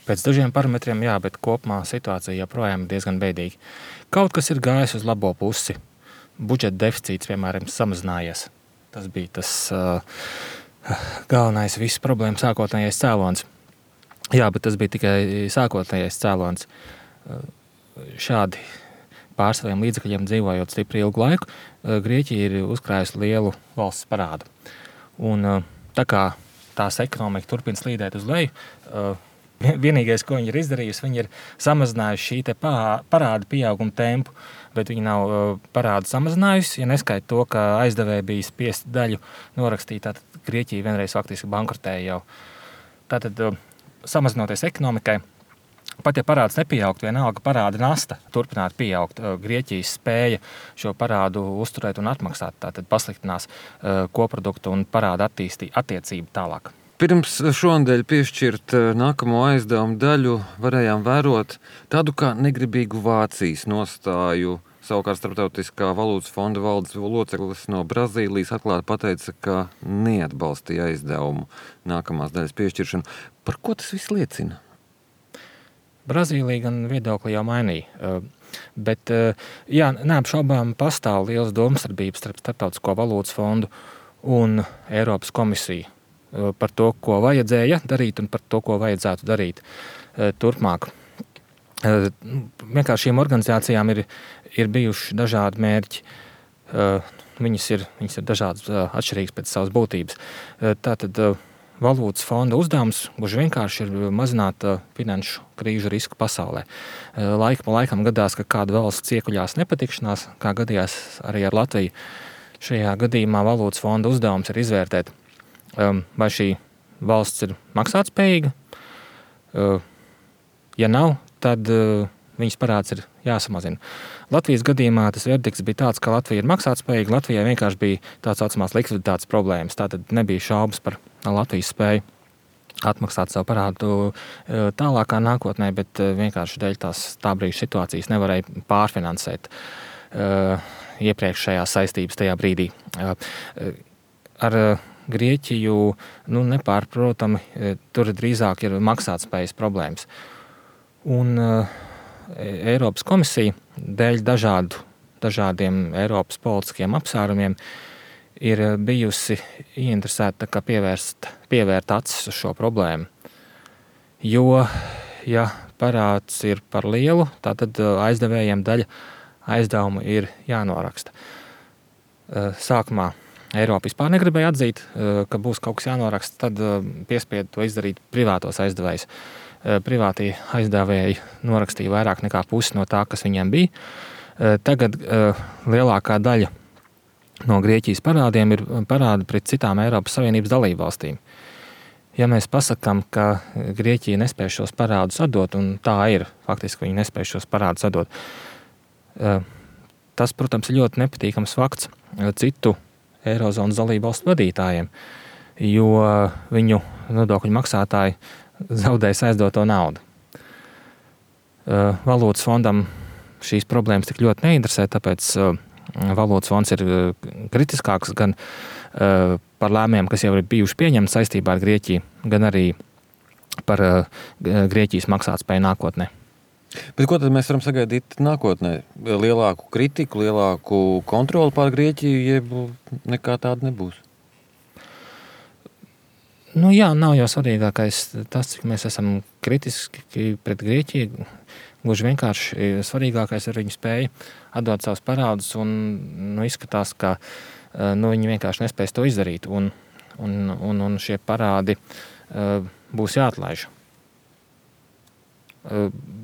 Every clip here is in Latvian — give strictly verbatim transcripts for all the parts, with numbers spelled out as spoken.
Pēc dažiem parametriem, jā, bet kopumā situācija joprojām ir diezgan bēdīga. Kaut kas ir gājis uz labo pusi. Budžeta deficīts, piemēram, samazinājies. Tas bija tas uh, galvenais visas problēmas sākotnējais cēlons. Jā, bet tas bija tikai sākotnējais cēlons. Uh, šādi pār saviem līdzekļiem dzīvojot stipri ilgu laiku, uh, Grieķija ir uzkrājusi lielu valsts parādu. Un uh, tā kā tās ekonomika turpina slīdēt uz leju, uh, vienīgais, ko viņi ir izdarījusi, viņi ir samazinājuši šī te parāda pieauguma tempu, bet viņi nav parādu samazinājusi, ja neskaita to, ka aizdevēji bija spiesti daļu norakstīt, tātad Grieķija vienreiz faktiski bankrotēja jau. Tātad, samazinoties ekonomikai, pat ja parāds nepieaugt, vienalga parāda nasta turpināt pieaugt, Grieķijas spēja šo parādu uzturēt un atmaksāt, tātad pasliktinās koproduktu un parāda attīstī, attiecību tālāk. Pirms šonadēļ piešķirt nākamo aizdevumu daļu varējām vērot tādu kā negribīgu Vācijas nostāju. Savukārt Starptautiskā valūtas fonda valdes loceklis no Brazīlijas atklāti pateica, ka neatbalstīja aizdevumu nākamās daļas piešķiršanu. Par ko tas viss liecina? Brazīlija gan viedokli jau mainīja, bet jā, neapšaubām pastāv liels domstarpības starp Starptautisko valūtas fondu un Eiropas komisiju par to, ko vajadzēja darīt un par to, ko vajadzētu darīt turpmāk. Vienkārši šīm organizācijām ir, ir bijuši dažādi mērķi. Viņas ir, viņas ir dažādas atšķirīgas pēc savas būtības. Tātad valūtas fonda uzdevums gluži vienkārši ir mazināt finanšu krīžu risku pasaulē. Laika pa laikam gadās, ka kāda valsts iekuļās nepatikšanās, kā gadījās arī ar Latviju. Šajā gadījumā valūtas fonda uzdevums ir izvērtēt, vai šī valsts ir maksātspējīga. Ja nav, tad viņas parāds ir jāsamazina. Latvijas gadījumā tas verdikts bija tāds, ka Latvija ir maksātspējīga. Latvijai vienkārši bija tāds saucamās likviditātes problēmas. Tātad nebija šaubas par Latvijas spēju atmaksāt savu parādu tālākā nākotnē, bet vienkārši dēļ tās tā brīža situācijas nevarēja pārfinansēt iepriekšējās saistības tajā brīdī. Ar Grieķiju, nu, nepārprotami, tur drīzāk ir maksātspējas problēmas. Un uh, Eiropas komisija dēļ dažādu, dažādiem Eiropas politiskiem apsvērumiem ir bijusi ieinteresēta kā pievērst, pievērt acis uz šo problēmu. Jo, ja parāds ir par lielu, tad aizdevējiem daļa aizdevumu ir jānoraksta. Uh, sākumā Eiropa vispār negribēja atzīt, ka būs kaut kas jānoraksta, tad piespieda to izdarīt privātos aizdevējus. Privātie aizdevēji norakstīja vairāk nekā pusi no tā, kas viņiem bija. Tagad lielākā daļa no Grieķijas parādiem ir parādi pret citām Eiropas Savienības dalībvalstīm. Ja mēs pasakām, ka Grieķija nespēj šos parādus atdot, un tā ir, faktiski viņi nespēj šos parādus atdot, tas, protams, ir ļoti nepatīkams fakts citu Eirozonas dalībvalstu vadītājiem, jo viņu nodokļu maksātāji zaudēs aizdoto naudu. Valūtas fondam šīs problēmas tik ļoti neinteresē, tāpēc valūtas fonds ir kritiskāks gan par lēmumiem, kas jau ir bijuši pieņemti saistībā ar Grieķiju, gan arī par Grieķijas maksātspēju nākotnē. Bet ko tad mēs varam sagaidīt nākotnē? Lielāku kritiku, lielāku kontroli pār Grieķiju, jeb nekā tāda nebūs? Nu jā, nav jau svarīgākais tas, cik mēs esam kritiski pret Grieķiju. Gluži vienkārši svarīgākais ir viņu spēja atdot savus parādus, un nu, izskatās, ka nu, viņi vienkārši nespēs to izdarīt, un, un, un, un šie parādi uh, būs jāatlaiž.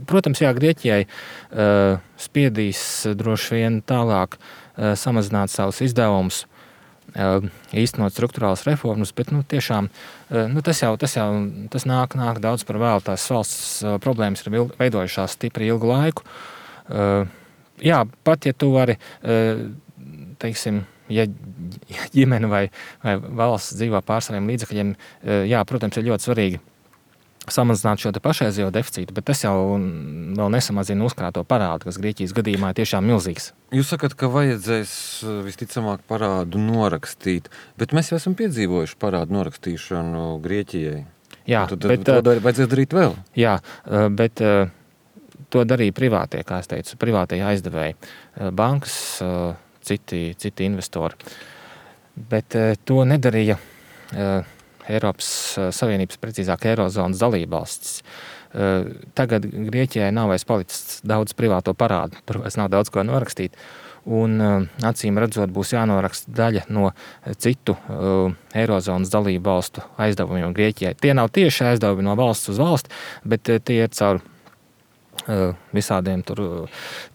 Protams, jā, Grieķijai uh, spiedīs droši vien tālāk uh, samazināt savus izdevumus, uh, īstenot struktūrālas reformas, bet nu, tiešām uh, nu, tas jau, tas jau tas nāk, nāk daudz par vēlu. Tās valsts uh, problēmas ir veidojušās stipri ilgu laiku. Uh, jā, pat ja tu vari, uh, teiksim, ja ģimene vai, vai valsts dzīvo pār saviem līdzekļiem, uh, jā, protams, ir ļoti svarīgi samazināt šo te pašreizējo deficītu, bet tas jau vēl nesamazina uzkrāto parādu, kas Grieķijas gadījumā ir tiešām milzīgs. Jūs sakat, ka vajadzēs visticamāk parādu norakstīt, bet mēs jau esam piedzīvojuši parādu norakstīšanu Grieķijai. Jā, tad, bet, to dar, vajadzēs darīt vēl. Jā, bet to darīja privātie, kā es teicu, privātie aizdevēji, bankas, citi, citi investori. Bet to nedarīja Eiropas Savienības, precīzāk Eirozonas dalībvalstis. Tagad Grieķijai nav vairs palicis daudz privāto parādu, tur vairs nav daudz ko norakstīt. Un acīm redzot, būs jānoraksta daļa no citu uh, Eirozonas dalību valstu aizdevumiem Grieķijai. Tie nav tieši aizdevumi no valsts uz valsti, bet tie ir caur uh, visādiem tur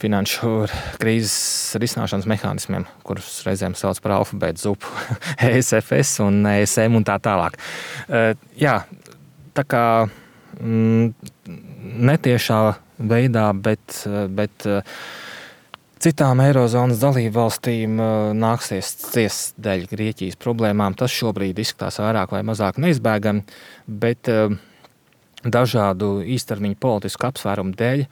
finanšu krīzes risināšanas mehānismiem, kurus reizēm sauc par alfabētu zupu, E S F S un E S M un tā tālāk. Uh, jā, tā kā mm, netiešā veidā, bet, bet citām Eirozonas dalību valstīm nāksies ciest dēļ Grieķijas problēmām. Tas šobrīd izskatās vairāk vai mazāk neizbēgami, bet dažādu īstermiņu politisku apsvērumu dēļ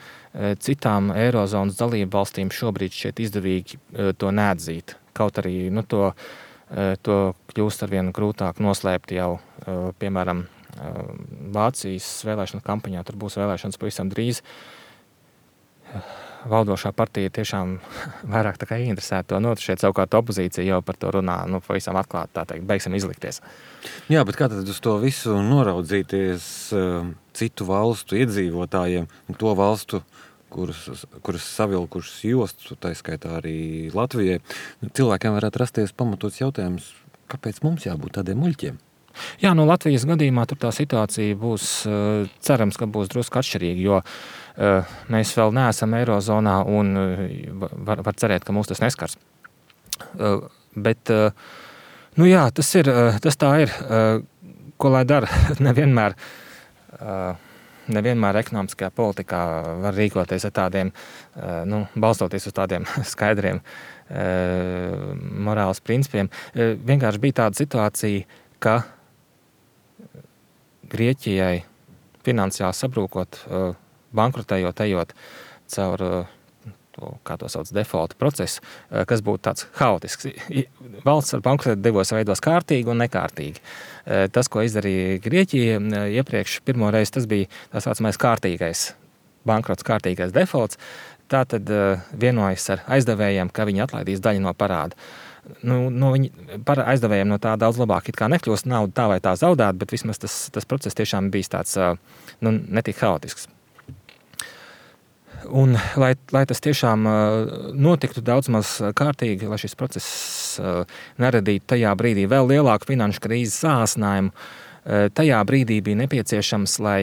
citām Eirozonas dalību valstīm šobrīd šķiet izdevīgi to neatzīt. Kaut arī nu, to, to kļūst arvien grūtāk noslēpt jau, piemēram, Vācijas vēlēšana kampaņā. Tur būs vēlēšanas pavisam drīz. Valdošā partija tiešām vairāk tā kā ieinteresēta to not. Šeit savukārt opozīcija jau par to runā, nu, pavisam atklāti, tā teikt, beigsim izlikties. Jā, bet kā tad uz to visu noraudzīties citu valstu iedzīvotājiem, to valstu, kuras, kuras savilkušas jostu, tā skaitā arī Latvijai? Cilvēkiem varētu rasties pamatots jautājums, kāpēc mums jābūt tādiem muļķiem? Jā, no Latvijas gadījumā tur tā situācija būs, cerams, ka būs drusku atšķirīga, jo mēs vēl neesam Eirozonā un var, var cerēt, ka mūs tas neskars. Bet, nu jā, tas ir, tas tā ir, ko lai dara, nevienmēr, nevienmēr ekonomiskajā politikā var rīkoties ar tādiem, nu, balstoties uz tādiem skaidriem morāles principiem. Vienkārši bija tāda situācija, ka Grieķijai finansiāli sabrūkot, bankrotējot, ejot caur, kā to sauc, defaulta procesu, kas būtu tāds haotisks. Valsts ar bankrotēt divos veidos kārtīgi un nekārtīgi. Tas, ko izdarīja Grieķija iepriekš, pirmo reizi tas bija tā saucamais kārtīgais bankrots, kārtīgais defaults. Tātad vienojas ar aizdevējiem, ka viņi atlaidīs daļu no parāda. Nu, no viņi, par aizdevējiem no tā daudz labāk it kā nekļūst, naudu tā vai tā zaudēt, bet vismaz tas, tas process tiešām bijis tāds, nu, netik haotisks. Un, lai, lai tas tiešām notiktu daudz maz kārtīgi, lai šis process neradītu tajā brīdī vēl lielāku finanšu krīzes sāsinājumu, tajā brīdī bija nepieciešams, lai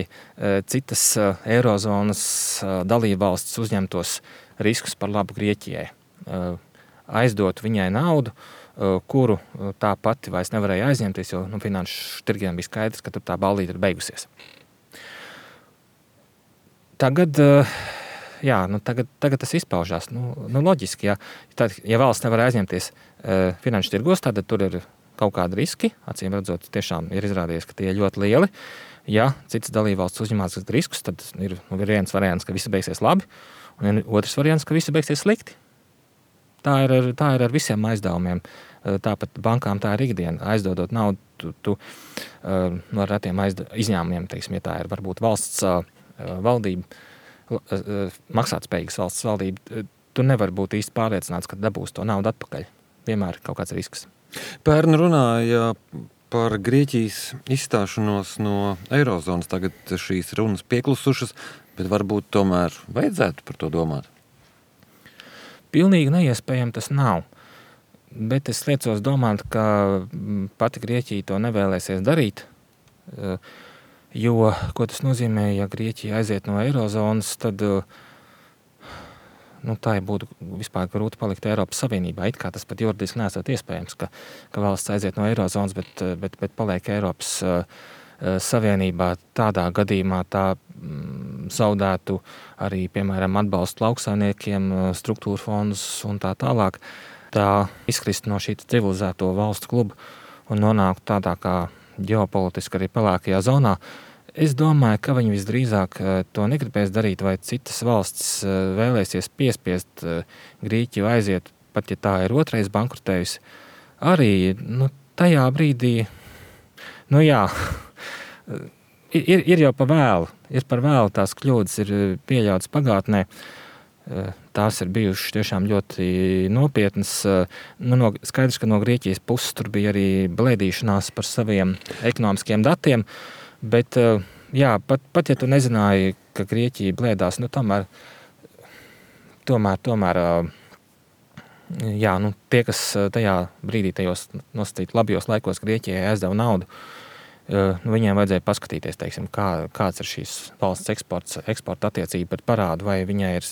citas Eirozonas dalībvalstis uzņemtos riskus par labu Grieķijai. Aizdot viņai naudu, kuru tā pati vairs nevarēja aizņemties, jo nu, finanšu tirgiem bija skaidrs, ka tur tā ballīte ir beigusies. Tagad, jā, nu, tagad, tagad tas izpaužās. Nu, nu, loģiski, ja, tad, ja valsts nevar aizņemties finanšu tirgos, tad tur ir kaut kādi riski. Acīm redzot, tiešām ir izrādījies, ka tie ir ļoti lieli. Ja citas dalībvalsts uzņemās riskus, tad ir, nu, ir viens variants, ka visi beigsies labi, un otrs variants, ka visi beigsies slikti. Tā ir, ar, tā ir ar visiem aizdevumiem. Tāpat bankām tā ir ikdiena. Aizdodot naudu, tu, tu no ar retiem aizd, izņēmumiem, teiksim, ja tā ir varbūt valsts valdība, maksātspējīgas valsts valdība, tu nevar būt īsti pārliecināts, ka dabūs to naudu atpakaļ. Vienmēr kaut kāds risks. Pērn runāja par Grieķijas izstāšanos no Eirozonas. Tagad šīs runas pieklusušas, bet varbūt tomēr vajadzētu par to domāt. Pilnīgi neiespējami tas nav, bet es liecos domāt, ka pati Grieķija to nevēlēsies darīt, jo, ko tas nozīmē, ja Grieķija aiziet no Eirozonas, tad nu, tā būtu vispār grūti palikt Eiropas Savienībā. It kā tas pat juridiski nesot iespējams, ka, ka valsts aiziet no Eirozonas, bet, bet, bet paliek Eiropas Savienībā. Tādā gadījumā tā zaudētu arī, piemēram, atbalstu lauksaimniekiem, struktūra fondus un tā tālāk. Tā izkrist no šī civilizēto valstu kluba un nonākt tādā kā ģeopolitiski arī pelēkajā zonā. Es domāju, ka viņi visdrīzāk to negribēs darīt, vai citas valstis vēlēsies piespiest Grieķiju aiziet, pat ja tā ir otrais bankrotējusi. Arī nu, tajā brīdī, nu jā, ir, ir jau pa vēlu, ir par vēlu, tās kļūdas ir pieļautas pagātnē. Tās ir bijušas tiešām ļoti nopietnas. Nu, no, skaidrs, ka no Grieķijas puses tur bija arī blēdīšanās par saviem ekonomiskiem datiem, bet jā, pat, pat ja tu nezināji, ka Grieķija blēdās, nu tomēr, tomēr, tomēr jā, nu, tie, kas tajā brīdī tajos nosacīt labajos laikos Grieķijai aizdeva naudu, nu, viņiem vajadzēja paskatīties, teiksim, kā, kāds ir šīs valsts eksports, eksporta attiecība pret parādu, vai viņai ir,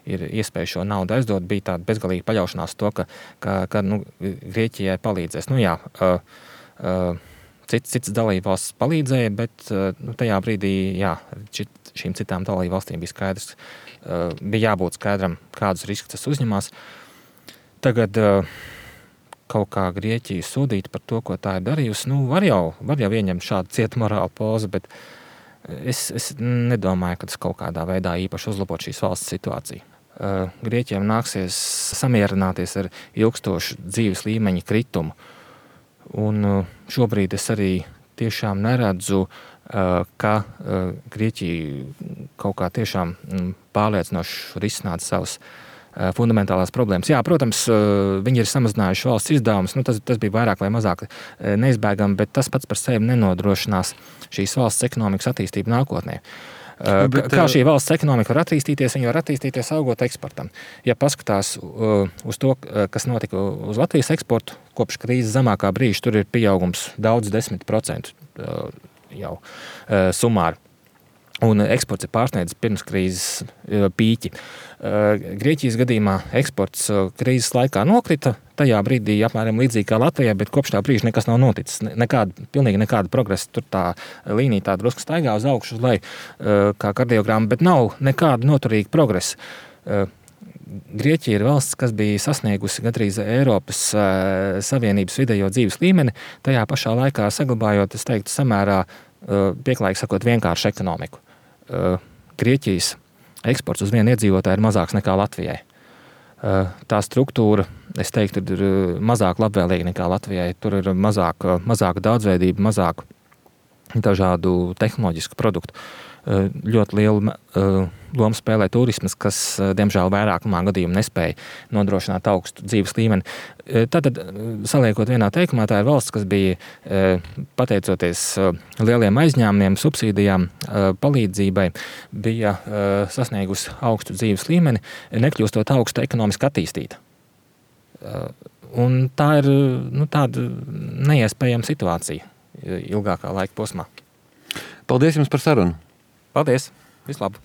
ir iespēja šo naudu aizdot, bija tāda bezgalīga paļaušanās to, ka, ka, ka nu, Grieķijai palīdzēs. Nu jā, uh, uh, cits, cits dalībvalsts palīdzēja, bet uh, nu, tajā brīdī, jā, šit, šīm citām dalībvalstīm bija skaidrs, uh, bija jābūt skaidram, kādus riskus tas uzņemās. Tagad uh, kaut kā Grieķiju sodīt par to, ko tā ir darījusi, nu, var jau, var jau ieņemt šādu cietu morālu pozu, bet es, es nedomāju, ka tas kaut kādā veidā īpaši uzlabot šīs valsts situāciju. Uh, Grieķiem nāksies samierināties ar ilgstošu dzīves līmeņa kritumu, un uh, šobrīd es arī tiešām neredzu, uh, ka uh, Grieķija kaut kā tiešām mm, pārliecinoši risināt savus fundamentālās problēmas. Jā, protams, viņi ir samazinājuši valsts izdevumus, nu, tas, tas bija vairāk vai mazāk neizbēgami, bet tas pats par sevi nenodrošinās šīs valsts ekonomikas attīstību nākotnē. Bet, kā šī valsts ekonomika var attīstīties, viņa var attīstīties augot eksportam. Ja paskatās uz to, kas notika uz Latvijas eksportu, kopš krīzes zemākā brīža, tur ir pieaugums daudz desmit procentu jau sumāri. Un eksports ir pārsniedzis pirms krīzes pīķi. Grieķijas gadījumā eksports krīzes laikā nokrita, tajā brīdī apmēram līdzīgi kā Latvijā, bet kopš tā brīža nekas nav noticis. Nekāda, pilnīgi nekāda progresa. Tur tā līnija tā drusku staigā uz augšu, uz leju, kā kardiogramma, bet nav nekāda noturīga progresa. Grieķija ir valsts, kas bija sasniegusi gandrīz Eiropas Savienības vidējo dzīves līmeni, tajā pašā laikā saglabājot, es teiktu, samērā pieklājīgi sakot, vienkāršu ekonomiku. Grieķijas eksports uz vienu iedzīvotāju ir mazāks nekā Latvijai. Tā struktūra, es teiktu, ir mazāk labvēlīga nekā Latvijai. Tur ir mazāk, mazāk daudzveidība, mazāk dažādu tehnoloģisku produktu. Ļoti lielu lomu spēlē turismas, kas, diemžēl, vairākumā gadījumu nespēja nodrošināt augstu dzīves līmeni. Tātad, saliekot vienā teikumā, tā ir valsts, kas bija, pateicoties lieliem aizņēmumiem, subsīdijām, palīdzībai, bija sasniegusi augstu dzīves līmeni, nekļūstot augstu ekonomiski attīstīta. Un tā ir, nu, tāda neiespējama situācija ilgākā laika posmā. Paldies jums par sarunu! Paldies! Vislabāk!